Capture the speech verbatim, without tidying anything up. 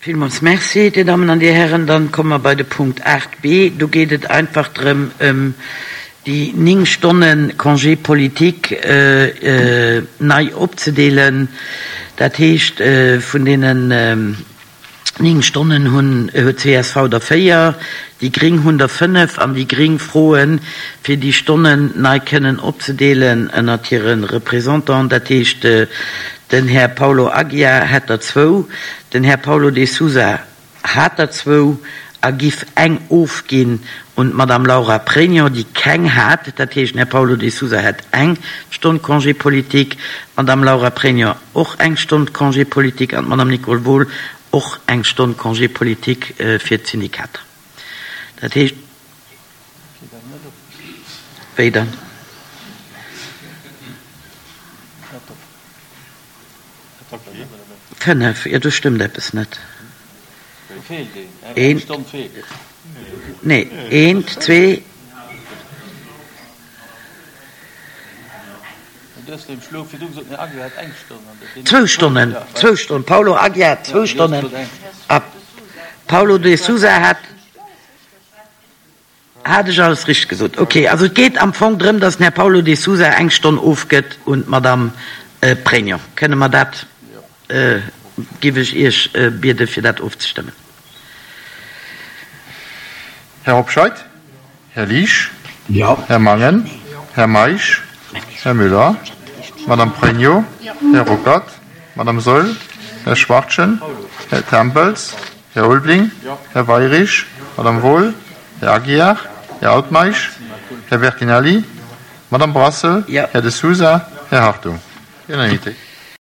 Villmools Merci, Dir Dammen an Dir Hären. Dann komme mer bei de Punkt aacht b. Do geet et einfach drëm, ëm déi néng Stonne Congé politique nei opzedeelen. Dat heescht, vun deenen néng Stonnen hunn, huet d'C S V der véier, déi Gréng hunn der fënnef an déi Gréng froen, fir déi Stonnen nei kënnen opzedeelen ënnert hire Représentanten. Dat heescht, den Här Paulo Aguiar hätt der zwou, den Här Paulo de Sousa hat der zwou a giff eng ofginn un d'Madame Laura Pregno, déi keng hat. Dat heescht, den Här Paulo de Sousa hätt eng Stonn Congé politique, d'Madame Laura Pregno och eng Stonn Congé politique an d'Madame Nicole Wohl och eng Stonn Congé politique fir d'Syndikater. Dat heescht, wéi dann? Fënnef, jo, do stëmmt eppes net. Eent, nee, eent, zwee. Zwou Stonnen, zwou Stonnen. Paulo Aguiar zwou Stonnen a Paulo de Sousa hat. Hat ech alles richteg gesot? Ok, also et geet am Fong drëm, datt den Här Paulo de Sousa eng Stonn ofgëtt un d'Madame Pregno. Kënne mer dat, giff ech Iech biede fir dat ofzestëmmen. Här Hobscheit? Här Liesch? Här Mangen? Här Meisch? Här Müller? Madame Pregno? Här Ruckert? Madame Saeul? Här Schwachtgen? Här Tempels? Här Ulbling? Här Weyrich? Madame Wohl? Här Aguiar? Här Altmeisch? Här Bertinelli? Madame Brassel? Här De Sousa? Här Hartung? Unanimité.